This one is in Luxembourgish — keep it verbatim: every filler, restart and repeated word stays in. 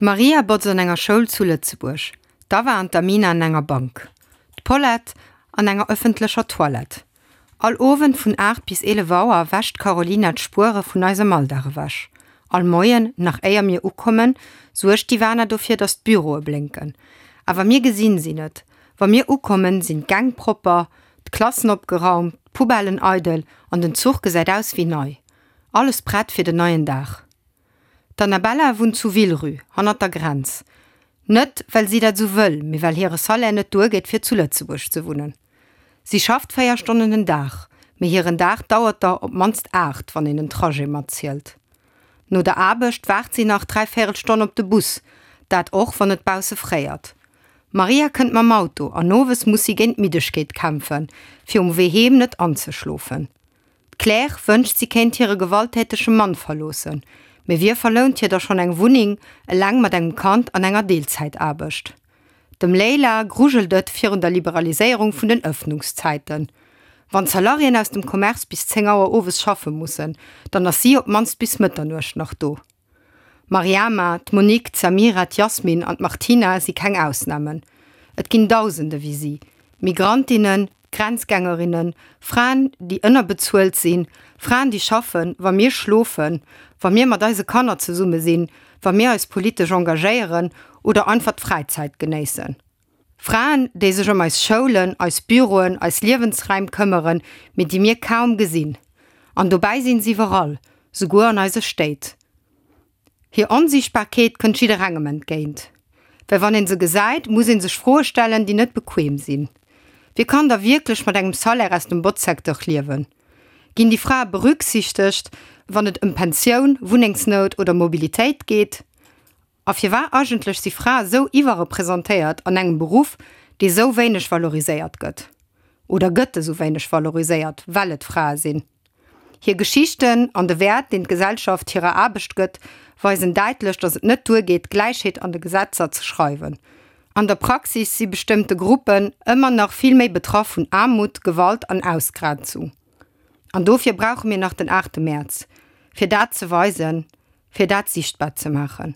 D'Maria botzt an enger Schoul zu Lëtzebuerg, d'Awa an d'Amina an enger Bank, d'Paulette an enger ëffentlecher Toilette. All Owend vun aacht bis eelef Auer wäscht d'Carolina d'Spuere vun eisem Alldag ewech. All Moien, nach éier mir ukommen, suergt d'Ivana dofir, datt d'Büroe blénken. Awer mir gesinn si net. Wa mir ukommen, sinn d'Gäng propper, d'Klassen opgeraumt, d'Poubellen eidel an den Zuch gesäit aus wéi nei. Alles prett fir den neien Dag. D'Annabella wunnt zu Villerupt, hannert der Grenz. Net, well si dat sou wëll, mee well hire Salaire net duergeet, fir zu Lëtzebuerg ze wunnen. Si schafft véier Stonnen den Dag, mee hiren Dag dauert der op d'mannst aacht, wann een den Trajet matzielt. No der Aarbecht waart si nach dräi véierel Stonn op de Bus, dat och, wann et bausse fréiert. D'Maria kënnt mam Auto an owes muss si géint d'Middegkeet kämpfen, fir um Wee heem net anzeschlofen. D'Claire wënscht, si kéint hire gewalttätege Mann verloossen, mee wie verlount hir da schonn eng Wunneng, eleng mat engem Kand an enger Deelzäitaarbecht? Dem Leila grujelt et virun der Liberaliséierung vun den Ëffnungszäiten. Wann d'Salariéen aus dem Commerce bis zéng Auer owes schaffe mussen, dann ass si op d'mannst bis Mëtternuecht nach do. D'Mariama, d'Monique, d'Samira, d'Yasmine an d'Martina si keng Ausnamen. Et ginn Dausende wéi si, Migrantinnen, Grenzgängerinnen, Fraen, déi ënnerbezuelt sinn, Fraen, déi schaffen, wa mir schlofen, wa mir mat eise Kanner zesumme sinn, wa mir eis politesch engagéieren oder einfach d'Fräizäit genéissen. Fraen, déi sech ëm eis Schoulen, eis Büroen, eis Liewensraim këmmeren, mee déi mir kaum gesinn. An dobäi sinn si iwwerall, souguer an eise Stéit. Hir Onsiichtbarkeet kënnt jidderengem entgéint. Well wann een se gesäit, muss een sech Froe stellen, déi net bequem sinn. Wie kann da wierklech mat engem Salaire aus dem Botzsecteur liewen? Ginn déi Frae berücksichtegt, wann et ëm Pensioun, Wunnengsnout oder Mobilitéit geet? A firwat eigentlech si Frae sou iwwerrepresentéiert an engem Beruff, dee sou wéineg valoriséiert gëtt? Oder gëtt e sou wéineg valoriséiert, well et Frae sinn? Hir Geschichten an de Wäert, deen d'Gesellschaft hirer Aarbecht gëtt, weisen däitlech, datt et net duergeet, Gläichheet an de Gesetzer ze schreiwen. An der Praxis si bestëmmte Gruppen ëmmer nach vill méi betraff vun Aarmut, Gewalt an Ausgrenzung. An dofir brauche mir nach den aachte Mäerz, fir dat ze weisen, fir dat siichtbar ze maachen.